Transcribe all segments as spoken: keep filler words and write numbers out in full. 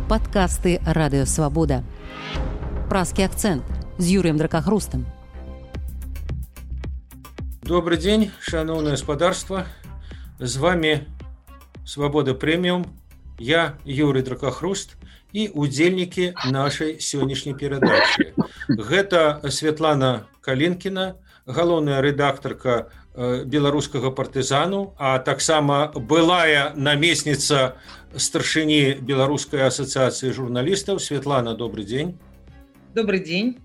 Падкасты Радыёвабода. Празкі акцэнт з Юрыем Дракахрустам. Добрый день, шановное господарство. С вами Свобода Премиум. Я Юрий Дракахруст и удзельники нашей сегодняшней передачи. Гэта Светлана Калинкина, галоўная рэдактарка беларускага партызану, а таксама былая намесніца старшыні Беларускай асацыяцыі журналістаў. Светлана, добрый день. Добрый день.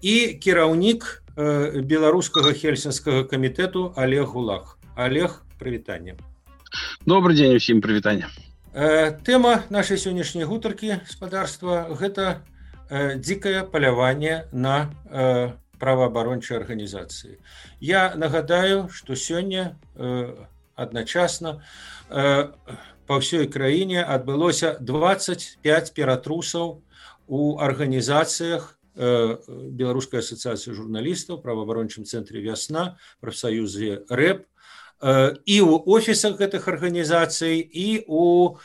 І кіраўнік беларускага хельсінскага камітэту Олег Гулах. Олег, прывітанне. Добрый день усім, прывітанне. Тэма нашай сённяшняй гутаркі, гаспадарства, гэта дзікае паляванне на праваабарончай арганізацыі. Я нагадаю, што сёння адначасна па ўсёй краіне адбылося дваццаць пяць ператрусаў у арганізацыях Беларускай асацыяцыі журналістаў, праваабарончым цэнтры «Вясна», прафсаюзе РЭП, і ў офісах гэтых арганізацый, і ў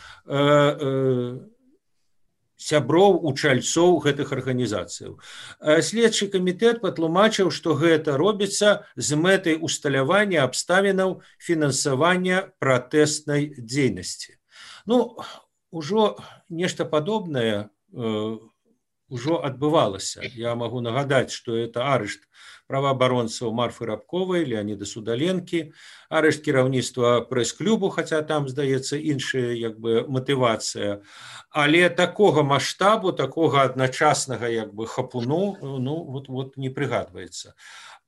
сяброў, учальцоў гэтых арганізацыяў. Следчы камітэт патлумачыў, што гэта робіцца з мэтай усталявання абставінаў фінансавання пратэснай дзейнасці. Ну, ужо нешта падобнае ўжо адбывалася. Я магу нагадаць, што это арышт праваабаронцаў Марфы Рабковай, Леаніда Судаленкі, арышт кіраўніцтва прэс-клубу, хаця там, здаецца, іншая як бы матывацыя. Але такога маштабу, такога адначаснага як бы хапуну, ну, вот, вот не прыгадваецца.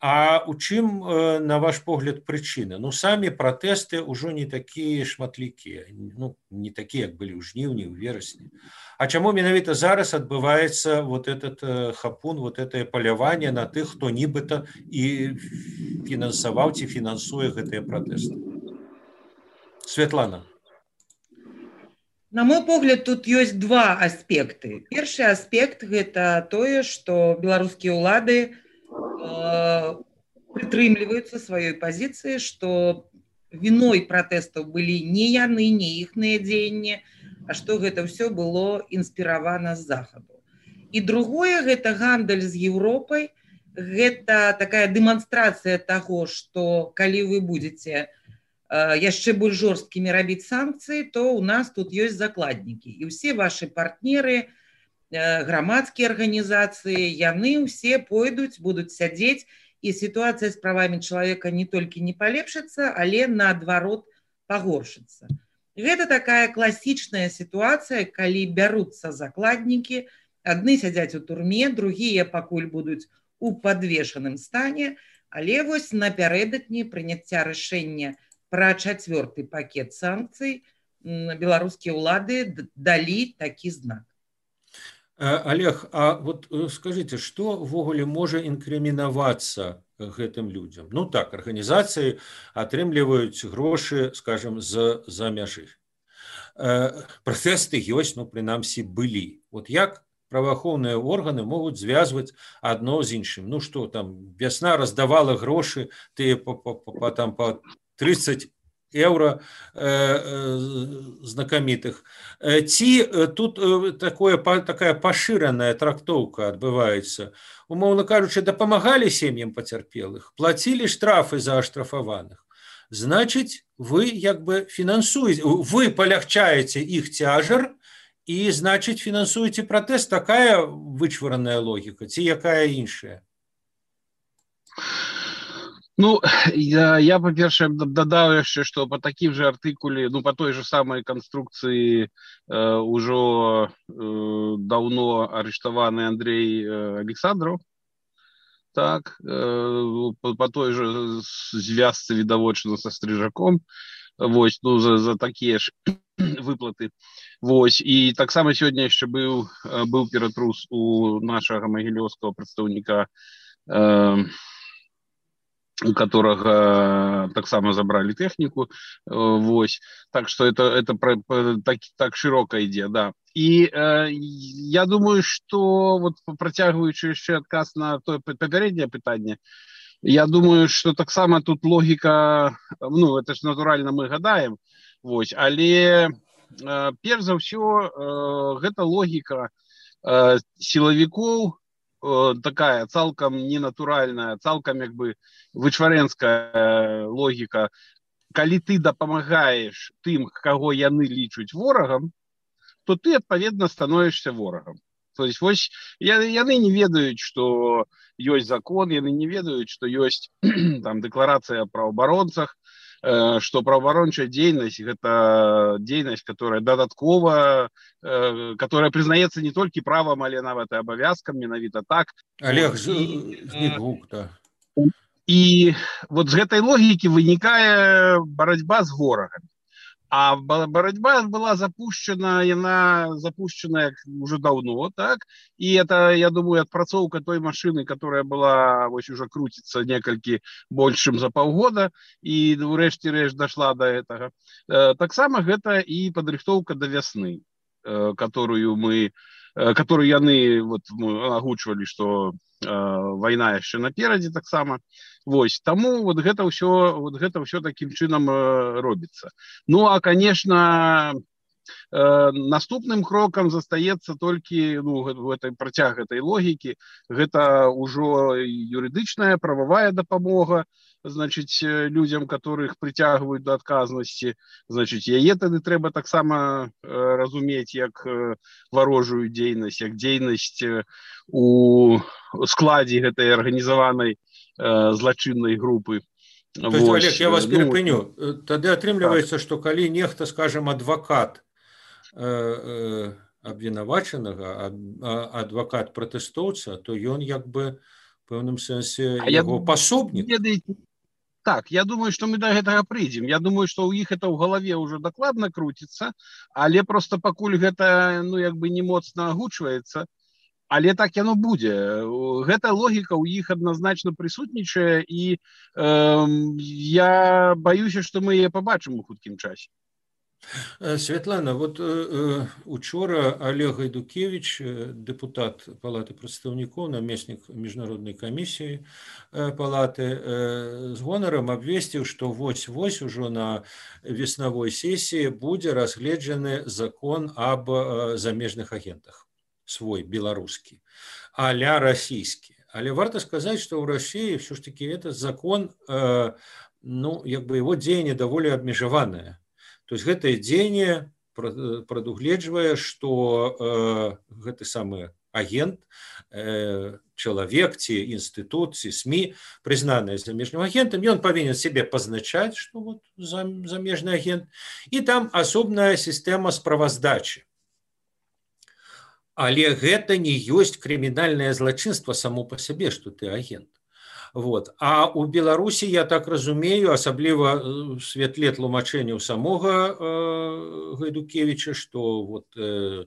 А у чым, на ваш погляд, прычына? Ну, самі пратэсты ўжо не такія шматлікія, ну, не такія, як былі ў жніўні, ў верасні. А чаму менавіта зараз адбываецца вот этот хапун, вот это паляванне на тых, хто нібыта і фінансаваў ці фінансуе гэтыя пратэсты? Светлана. На мой погляд, тут ёсць два аспекты. Першы аспект – гэта тое, што беларускія ўлады прытрымліваюцца сваёй пазіцыі, што віной пратэстаў былі не яны, не іхныя дзеянні, а што гэта ўсё было інспіравана з захаду. І другое, гэта гандаль з Еўропай, гэта такая дэманстрацыя таго, што калі вы будзеце яшчэ больш жорсткімі рабіць санкцыі, то ў нас тут ёсць закладнікі. І ўсе вашы партнеры, грамадскія арганізацыі, яны ўсе пойдуць, будуць сядзець, і сітуацыя з правамі чалавека не толькі не палепшыцца, але наадварот пагоршыцца. Гэта такая класічная сітуацыя, калі бяруцца закладнікі, адны сядзяць у турме, другія пакуль будуць у падвешаным стане, але вось напярэдадні прыняцця рашэння пра чацвёрты пакет санкцый беларускія ўлады далі такі знак. Олег, а вот скажите, что ввогуле можа інкрымінавацца гэтым людзям? Ну так, арганізацыі атрымліваюць грошы, скажем, з-за мяжы. Пратэсты ёсць, ну, прынамсі, былі. Вот як праваахоўныя органы могуць звязваць адно з іншым? Ну што, там, «Вясна» раздавала грошы, тыя па, па, па, там, па тридцать еўра э, э, знакамітых. Ці тут э, такое, па, такая пашыраная трактоўка адбываецца? Умоўна кажучы, дапамагалі сем'ям пацярпелых, плацілі штрафы за аштрафаваных. Значыць, вы як бы фінансуеце, вы палягчаеце іх цяжар і, значыць, фінансуеце пратэст. Такая вычвараная логіка, ці якая іншая? Ну, я, я по-перше, додав яшчэ, што по такім же артыкуле, ну, по той же самой конструкції э, ужо э, давно арыштаваны Андрей э, Александров, так, э, по, по той же звязцы відавочна со Стрижаком, вось, ну, за, за такія ж выплаты. Вось, і таксама сёння яшчэ быў, быў ператрус у нашага магілёўскага прадстаўніка, э, у которого таксама забрали технику, вось, так что это, это про, так, так широко ідзе, да. И э, я думаю, что вот протягиваючи еще отказ на то попереднее питание, я думаю, что таксама тут логика, ну, это ж натурально мы гадаем, вось, але перш за ўсё гэта логіка сілавікоў, такая цалкам ненатуральная, цалкам як бы вычварэнская логіка. Калі ты дапамагаеш тым, каго яны лічуць ворагам, то ты адпаведна становішся ворагам. То есть вось яны не ведаюць, што ёсць закон, яны не ведаюць, што ёсць там дэкларацыя пра абаронцах, што праваабарончая дзейнасць гэта дзейнасць, которая дадаткова, которая прызнаецца не толькі правам, але нават і абавязкам, менавіта так. Олег, знік гук, да. І вот з гэтай логікі вынікае барацьба з ворагамі. А борьба была запущена, она запущена уже давно, так? И это, я думаю, отпрацовка той машины, которая была, вот уже крутится некалькі большим за полгода, и урэшце-рэшт дошла до этого. Так само это и подрыхтовка до весны, которую мы, которую яны вот мы агучвалі, что война еще наперадзе таксама. Вось, таму вот гэта ўсё, вот гэта ўсё таким чынам робіцца. Ну, а, конечно, наступным крокам застаецца толькі, ну, гэтай працяг гэтай логікі, гэта ўжо юрыдычная, прававая дапамога, значыць, людзям, которых прыцягваюць да адказнасці, значыць, яе тады трэба таксама разумець як варожую дзейнасць, як дзейнасць у складзе гэтай арганізаванай злачыннай групы. То есть, Олег, я вас перепыню. Ну, тады атрымліваецца, што калі нехта, скажем, адвакат э, абвінавачанага, адвакат пратэстоўца, то ён як бы в пэўным сэнсе яго пасобнік. Так, я думаю, что мы до гэтага прыйдзем. Я думаю, что у іх это ў галаве уже дакладна круціцца, але просто пакуль гэта, ну, як бы не моцна агучваецца, але так яно будзе. Гэта логіка ў іх адназначна прысутнічае, і э, я баюся, што мы яе пабачым у хуткім часе. Святлана, вот э, учора Олег Гайдукевич, депутат Палаты прадстаўнікоў, намеснік міжнароднай камісіі э, Палаты, э, з гонарам абвесціў, што вось-вось ужо на веснавой сесіі будзе разгледжаны закон аб э, замежных агентах. Свой белорусский, а-ля российский. Але варто сказать, что в России все-таки этот закон, э, ну, как бы его дзеянне довольно обмежеванное. То есть это дзеянне прадугледжвае, что э, гэты самый агент, э, человек, ці институт, ці СМИ, признанный замежным агентом, и он повинен себе позначать, что вот замежный агент, и там особная система справаздачи. Але гэта не ёсць крымінальнае злачынства само па сабе, што ты агент. Вот. А у Беларусі, я так разумею, асабліва в святле тлумачэнняў самога э, Гайдукевича, што вот, э,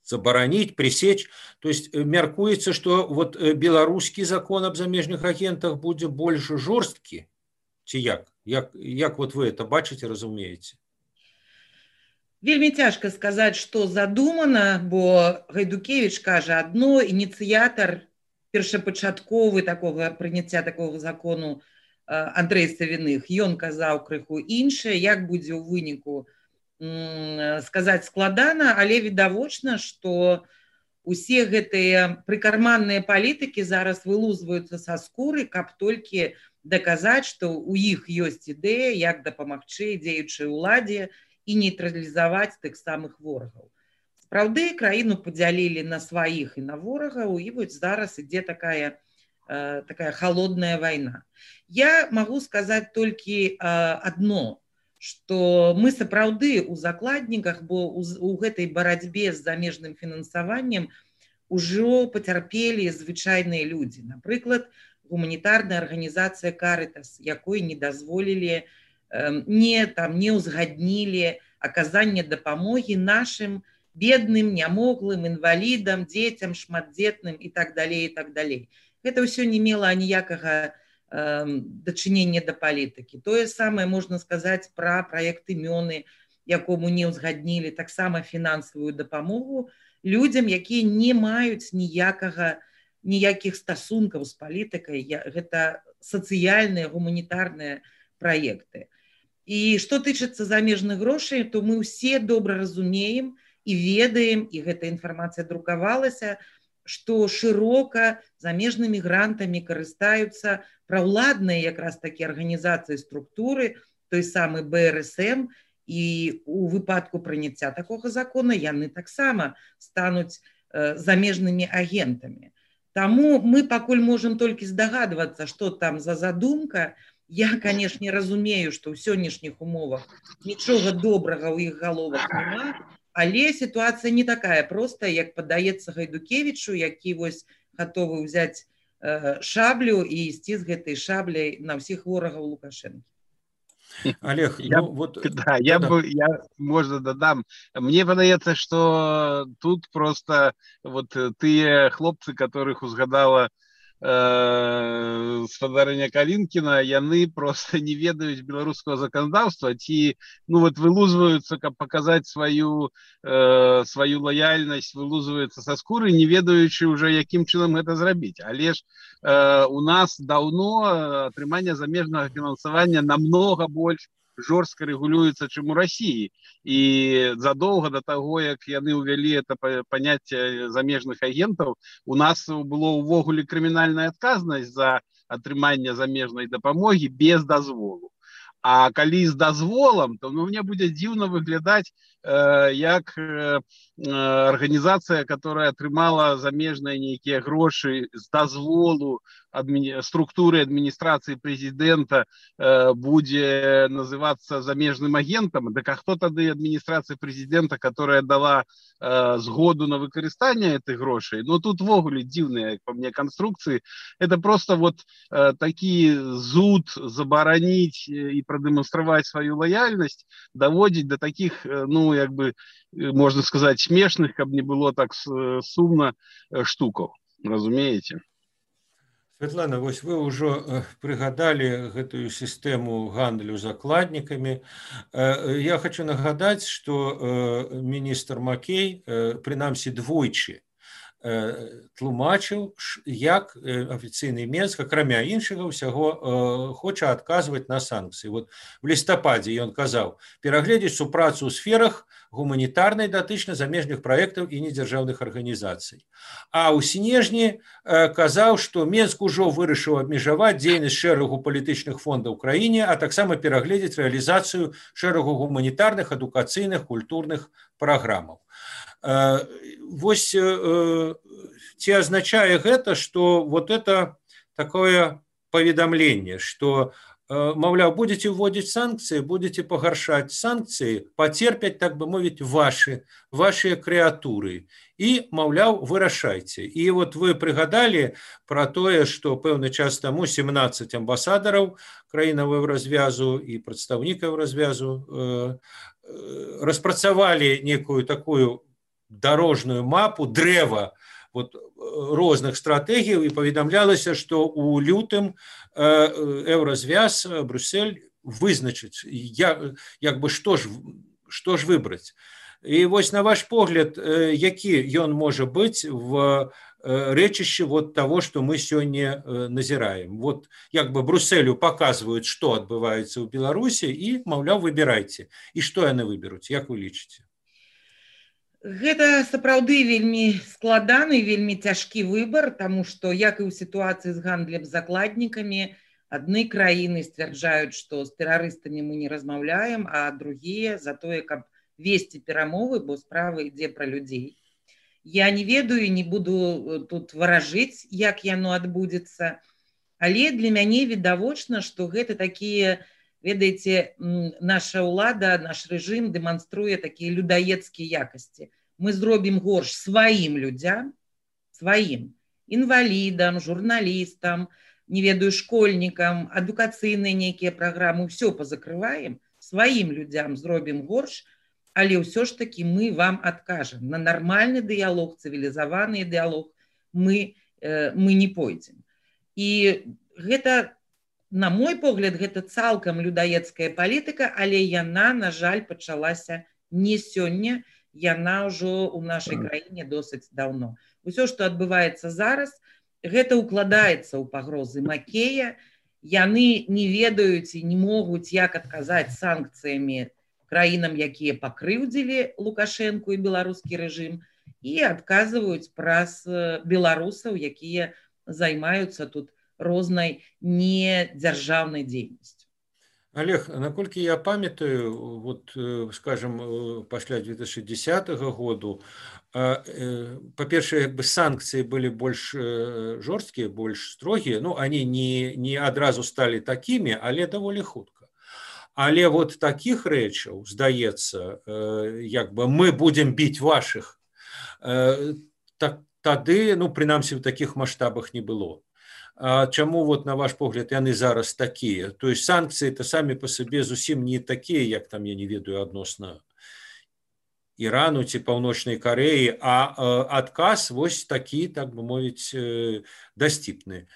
забараніць, пресечь. То есть мяркуецца, што вот беларускі закон аб замежных агентах будзе больш жорсткі, ці як? Як, як вот вы это бачыце, разумееце? Вельмі цяжка сказаць, што задумана, бо Гайдукевич кажа адно, ініцыятар першапачатковы такога прыняцця такога закону Андрэй Савіных, ён казаў крыху іншае, як будзе ў выніку сказаць складана, але відавочна, што усе гэтыя прыкарманныя палітыкі зараз вылузваюцца са скуры, каб толькі даказаць, што ў іх ёсць ідэя, як дапамагчы дзеючай уладзе і нейтралізаваць тых самых ворагаў. Сапраўды, краіну падзялілі на сваіх і на ворагаў, і вось зараз ідзе такая, э, такая холодная вайна. Я магу сказаць толькі э, адно, што мы сапраўды ў закладніках, бо у, у гэтай барацьбе з замежным фінансаваннем ужо пацярпелі звычайныя людзі. Напрыклад, гуманітарная арганізацыя Карытас, якой не дазволілі не, там, не ўзгаднілі аказанне дапамогі нашым бедным, нямоглым, інвалідам, дзецям, шматдзетным і так далей, і так далей. Гэта ўсё не мела аніякага э, дачынення да палітыкі. Тое самае можна сказаць пра праект імёны, якому не ўзгаднілі таксама фінансавую дапамогу людзям, якія не маюць ніякага, ніякіх стасункаў з палітыкай. Гэта сацыяльныя, гуманітарныя праекты. І што тычыцца замежных грошай, то мы ўсе добра разумеем і ведаем, і гэта інфармацыя друкавалася, што шырока замежнымі грантамі карыстаюцца праўладныя якраз такі арганізацыі структуры, той самы бэ эр эс эм, і у выпадку прыняцця такога закона яны таксама стануць э, замежнымі агентамі. Таму мы пакуль можам толькі здагадвацца, што там за задумка. Я, канешне, разумею, што ў сённяшніх умовах нічога добрага ў іх галовах няма, але сітуацыя не такая простая, як падаецца Гайдукевічу, які вось гатовы ўзяць э, шаблю і ісці з гэтай шабляй на ўсіх ворагаў Лукашэнкі. Олег, я, ну, вот, да, я, бы, я, можно, додам. Мне падаецца, что тут просто вот тыя хлопцы, которых узгадала спадарыня Калінкіна, яны просто не ведаюць беларускага заканадаўства, ці ну вот вылузваюцца, каб паказаць сваю э, сваю лаяльнасць, вылузваюцца са скуры, не ведаючы уже якім чынам гэта зрабіць. Але ж э, у нас даўно атрыманне замежнага фінансавання намнога больш жорстка рэгулюецца, чым у России. І задолго до того, як яны увялі это паняцце замежных агентаў, у нас было ўвогуле крымінальная адказнасць за атрыманне замежнай дапамогі без дазволу. А калі з дазволам, то ну, мне будзе дзіўна выглядаць э, як э, арганізацыя, которая атрымала замежныя нейкія грошы з дазволу адмі... структуры адміністрацыі прэзідэнта э, будзе называцца замежным агентам. Так а хто тады адміністрацыя прэзідэнта, которая дала э, згоду на выкарыстанне этих грошай? Ну тут вогуле дзіўныя, як па мне, конструкцыі. Это просто вот э, такі зуд забараніць і продемонстровать свою лояльность, доводить до таких, ну, як бы, можно сказать, смешных, как не было так сумно штуков, разумеете? Светлана, вось вы ўжо прыгадалі гэтую сістэму гандлю закладнікамі. Я хочу нагадаць, што міністр Макей, прынамсі двойчы, тлумачыў, як афіцыйны Менск, акрамя іншага ўсяго, хоча адказваць на санкцыі. Вот в лістападзе ён казаў перагледзець супрацу ў сферах гуманітарнай датычна замежных праектаў і недзяржаўных арганізацый. А ў снежні казаў, што Менск ужо вырашыў абмежаваць дзейнасць шэрагу палітычных фондаў у краіне, а таксама перагледзець рэалізацыю шэрагу гуманітарных, адукацыйных, культурных праграмаў. Вось ці азначае гэта, што вот это такое паведамленне, што, маўляў, будете вводзіць санкцыі, будете пагаршаць санкцыі, пацерпяць, так бы мовіць, ваши, ваши крэатуры. І, маўляў, вырашайце. І вот вы прыгадалі пра тое, што пэўны час таму семнаццаць амбасадараў краінаў Еўразвязу і прадстаўнікаў Еўразвязу э, распрацавалі некую такую дорожную мапу, дрэва вот, розных стратэгіяў, і паведамлялася, што у лютым Еўразвяз, Брюссель вызначыць, як, як бы што ж, што ж выбраць. І вось на ваш погляд, які ён можа быць в рэчышчы вот того, што мы сёння назіраем. Вот як бы Брюсселю паказваюць, што адбываецца ў Беларусі, і, маўляў, выбірайце. І што яны выберуць, як вы лічыце? Гэта сапраўды вельмі складаны, вельмі цяжкі выбар, таму што, як і ў сітуацыі з гандлем закладнікамі, адны краіны сцвярджаюць, што з тэрарыстамі мы не размаўляем, а другія за тое, каб весці перамовы, бо справа ідзе пра людзей. Я не ведаю, не буду тут варажыць, як яно адбудзецца, але для мяне відавочна, што гэта такія, ведаеце, наша ўлада, наш рэжым дэманструе такія людаедскія якасці. Мы зробім горш сваім людзям, сваім, інвалідам, журналістам, не ведаю, школьнікам, адукацыйныя нейкія праграмы, ўсё пазакрываем, сваім людзям зробім горш, але ўсё ж такі мы вам адкажам. На нармальны дыялог, цывілізаваны дыялог мы, э, мы не пойдзем. І гэта, на мой погляд, гэта цалкам людаедская палітыка, але яна, на жаль, пачалася не сёння, яна ўжо ў нашай краіне досыць даўно. Усё, што адбываецца зараз, гэта укладаецца ў пагрозы Макея, яны не ведаюць і не могуць як адказаць санкцыямі краінам, якія пакрыўдзілі Лукашэнку і беларускі рэжым, і адказваюць праз беларусаў, якія займаюцца тут рознай недзяржаўнай дзейнасцю. Олег, наколькі я памятаю, вот, скажем, пасля две тысячи десятого году, па-першае, як бы санкцыі былі больш жорсткія, больш строгія, ну, они не, не адразу сталі такімі, але даволі хутка. Але вот такіх рэчаў, здаецца, як бы мы будзем біць вашых, так, тады, ну, прынамсі, в такіх маштабах не было. А чаму, вот, на ваш погляд, яны зараз такія? То есть санкцыі-то самі па сабе зусім не такія, як там, я не ведаю, адносна Ірану ці Паўночнай Карэі, а адказ вось такі, так бы мовіць, дасціпны,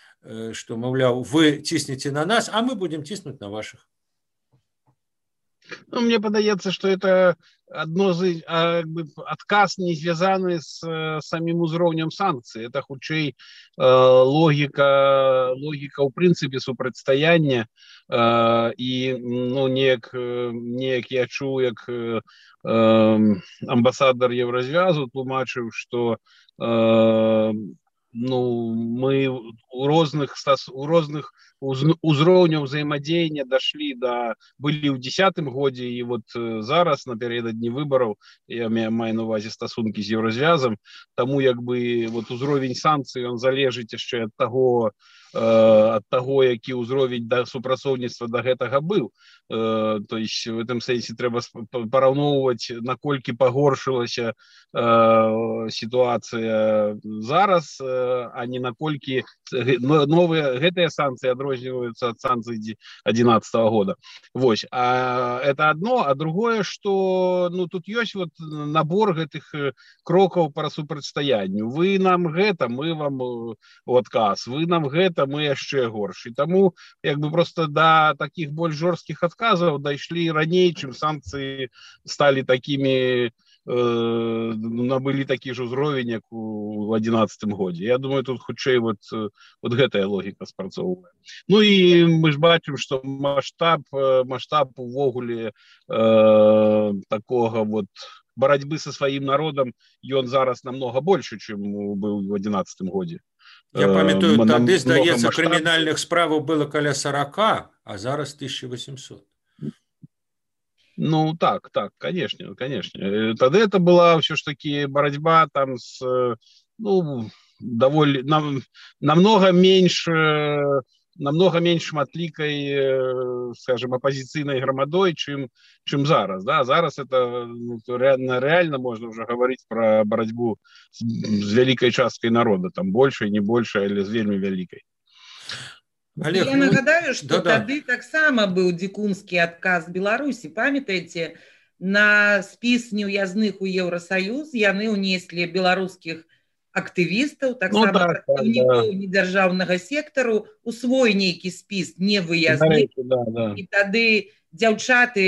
што, маўляў, вы ціснеце на нас, а мы будем ціснуць на ваших. Ну, мне падаецца, што это адно з а, бы, адказ не звязаны з самім узроўнем санкцый. Это хутчэй э, логіка, логіка ў прынцыпе супрацьстаяння э, і ну, неяк, неяк я чуў, як э, амбасадар Еўразвязу тлумачыў, што э, ну, мы у розных, у розных узроўняў ўзаемадзеяння дашлі да, былі ў дзесятым годзе, і вот зараз напярэдадні выбараў я маю на увазе стасункі з Еўразвязам, таму як бы вот узровень санкцый ён залежыць яшчэ ад таго, ад таго, які ўзровень да супрацоўніцтва да гэтага быў. То есть в этом сэнсе трэба параўноўваць, наколькі пагоршылася сітуацыя зараз, а не наколькі новыя гэтыя санкцыі адрозніваюцца ад санкцый адзінаццатага года. Вось. А это одно, а другое, што ну тут ёсць вот набор гэтых крокаў па супрацьстаянню. Вы нам гэта, мы вам у адказ, вы нам гэта, мы яшчэ горш. І таму як бы просто да таких больш жорсткіх адказаў дайшлі раней, чым санкцыі сталі такімі, э, набылі такі ж узровень, як у адзінаццатым годзе. Я думаю, тут хутчэй вот, вот гэтая логіка спрацоўвае. Ну і мы ж бачым, што маштаб, маштаб увогуле э, такога вот барацьбы са сваім народам, ён зараз намного больше, чым быў у адзінаццатым годзе. Я памятаю, тады, здаецца, крымінальных справаў было каля сорока, а зараз тысяча восемьсот. Ну, так, так, конечно, конечно. Тогда это была все ж таки борьба там с, ну, довольно, нам, намного меньше, намного меньше матликой, скажем, оппозиционной громадой, чем, чем зараз, да, зараз это ну, реально, реально можно уже говорить про борьбу с, с великой часткой народа, там больше, не больше, или с вельми великой. Олег, я нагадаю, што да, тады да. таксама быў дзікунскі адказ Беларусі. Памятаеце, на спіс неўязных у Еўрасаюз яны ўнеслі беларускіх актывістаў, таксама ну, да, прадстаўнікоў да. недзяржаўнага сектару, у свой нейкі спіс невыязных. Да, да. І тады дзяўчаты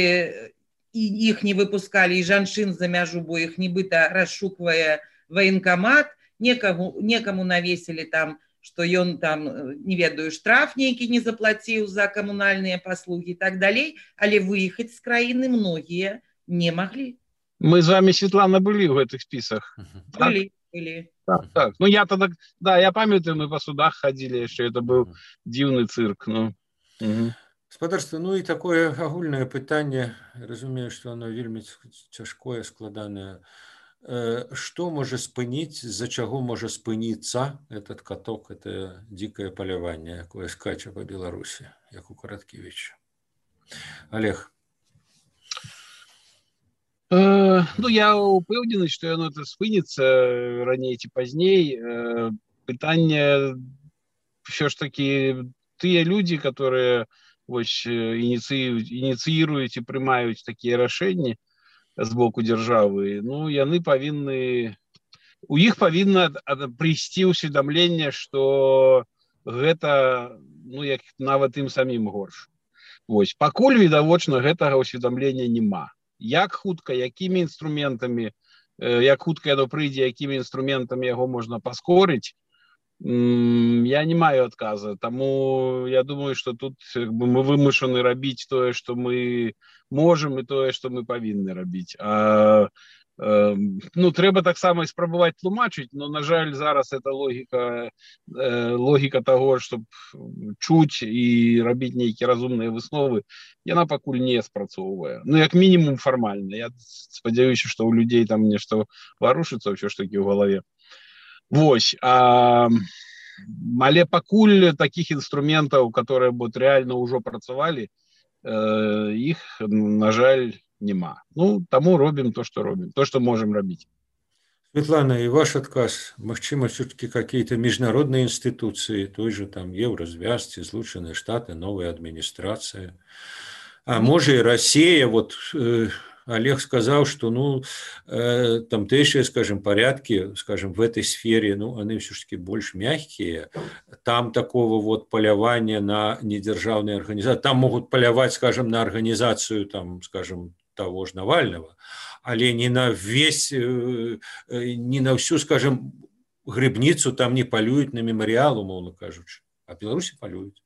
і іх не выпускалі, і жанчын за мяжу, бо іх нібыта расшуквае ваенкамат, некаму, некаму навесілі там, што ён там, не ведаю, штраф нейкі не заплаціў за камунальныя паслугі і так далей, але выехаць з краіны многія не маглі. Мы з вами, Светлана, былі ў гэтых спісах. Былі, так? былі. Так, так. Ну, я тогда, да, я памятаю, мы па судах хадзілі, яшчэ это быў дзіўны цырк. Ну. Угу. Спадарства, ну і такое агульнае пытанне, разумею, што оно вельмі цяжкое, складанае. Что может спыніць, з-за чаго можа спыніцца этот каток, это дзікае паляванне, якое скача па Беларусі, як у Караткевіча. Олег. Э, ну, я упэўнены, што яно это спыніцца раней ці пазней. Э, пытанне ўсё ж такі тыя людзі, которые вось ініцыююць, ініцыіруюць і прымаюць такія рашэнні з боку дзяржавы, ну, яны павінны, у іх павінна прыйсці ўсведамленне, што гэта, ну, як нават ім самім горш. Вось, пакуль відавочна гэтага ўсведамлення няма. Як хутка, якімі інструментамі, як хутка яно прыйдзе, якімі інструментамі яго можна паскорыць, Я не маю адказа, таму я думаю, што тут як бы, мы вымушаны рабіць тое, што мы можам, і тое, што мы павінны рабіць. А, э, ну, трэба таксама і спрабаваць тлумачыць, но, на жаль, зараз эта логіка, э, логіка таго, щоб чуць і рабіць нейкія разумныя высновы, яна пакуль не спрацоўвае. Ну, як мінімум фармальна. Я спадзяюся, што ў людзей там нешта варушыцца ўсё ж такі ў галаве. Вось, а, але пакуль таких інструментаў, которые вот реально ўжо працавалі, э, іх, на жаль, няма. Ну, таму робім то, што робім, то, што можем рабіць. Светлана, и ваш отказ, махчима, все-таки какие-то международные институции, той же там Еврозвязь, Злученные Штаты, новая администрация, а может и Россия, вот... Э, Олег сказал, что, ну, э, тамтэйшие, скажем, порядки, скажем, в этой сфере, ну, они все-таки больше мягкие. Там такого вот полявания на недержавные организации, там могут полявать, скажем, на организацию, там, скажем, того же Навального, але не на весь, э, не на всю, скажем, грибницу там не полюют на мемориал, умовно кажучи, а в Беларуси полюют.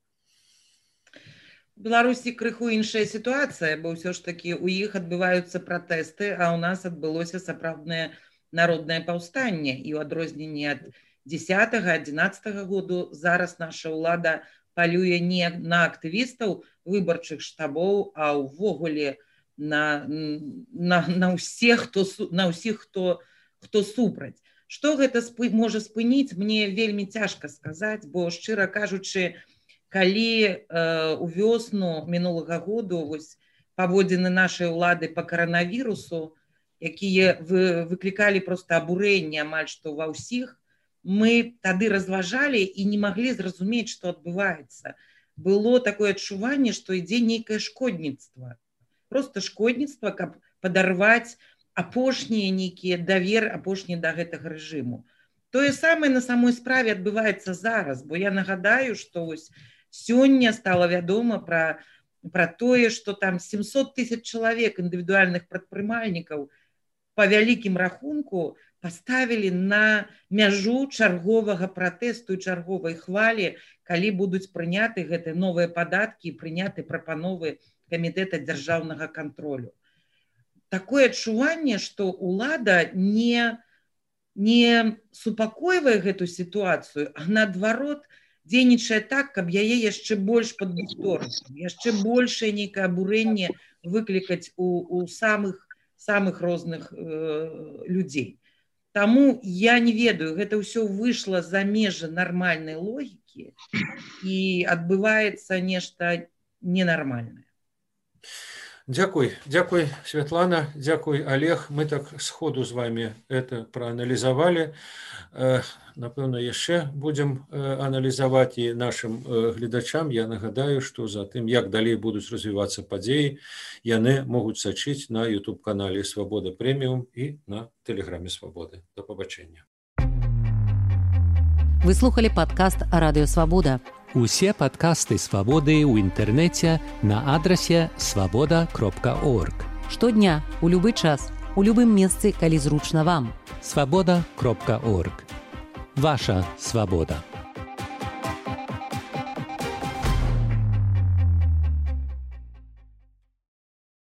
В Беларусі крыху іншая сітуацыя, бо ўсё ж такі у іх адбываюцца пратэсты, а ў нас адбылося сапраўднае народнае паўстанне. І ў адрозненні ад дзесятага адзінаццатага году зараз наша ўлада палюе не на актывістаў выбарчых штабоў, а ўвогуле на, на, на ўсіх, хто, на ўсіх, хто, хто супраць. Што гэта спы, можа спыніць, мне вельмі цяжка сказаць, бо, шчыра кажучы, калі э, у вёсну мінулага году вось, паводзіны нашай улады па каранавірусу, якія вы, выклікалі проста абурэнне амаль што ва ўсіх, мы тады разважалі і не маглі зразумець, што адбываецца. Было такое адчуванне, што ідзе нейкае шкодніцтва. Проста шкодніцтва, каб падарваць апошнія нейкія давер, апошнія да гэтага рэжыму. Тое самае на самой справе адбываецца зараз, бо я нагадаю, што вось сёння стала вядома пра, пра тое, што там сямсот тысяч чалавек індывідуальных прадпрымальнікаў па вялікім рахунку паставілі на мяжу чарговага пратэсту і чарговай хвалі, калі будуць прыняты гэтыя новыя падаткі і прыняты прапановы камітэта дзяржаўнага кантролю. Такое адчуванне, што ўлада не, не супакойвае гэту сітуацыю, а наадварот, дзейнічае так, каб яе яшчэ больш падбухторыць, яшчэ большае нейкае абурэнне выклікаць у, у самых, самых розных э, людзей. Таму я не ведаю, гэта ўсё выйшла за межы нармальнай логікі і адбываецца нешта ненармальнае. Дзякуй, дзякуй, Светлана, дзякуй, Олег. Мы так сходу з вами это прааналізавалі. Напэўна, яшчэ будзем аналізаваць і нашим гледачам. Я нагадаю, што за тым, як далей будуць развівацца падзеі, яны могуць сачыць на YouTube-канале Свабода Прэміум і на тэлеграме Свабоды. До пабачэння. Вы слухали падкаст Радыё Свабода. Усе падкасты Свабоды ў інтэрнэце на адрасе свабода кропка орг. Штодня, у любы час, у любым месцы, калі зручна вам. свабода кропка орг. Ваша свабода.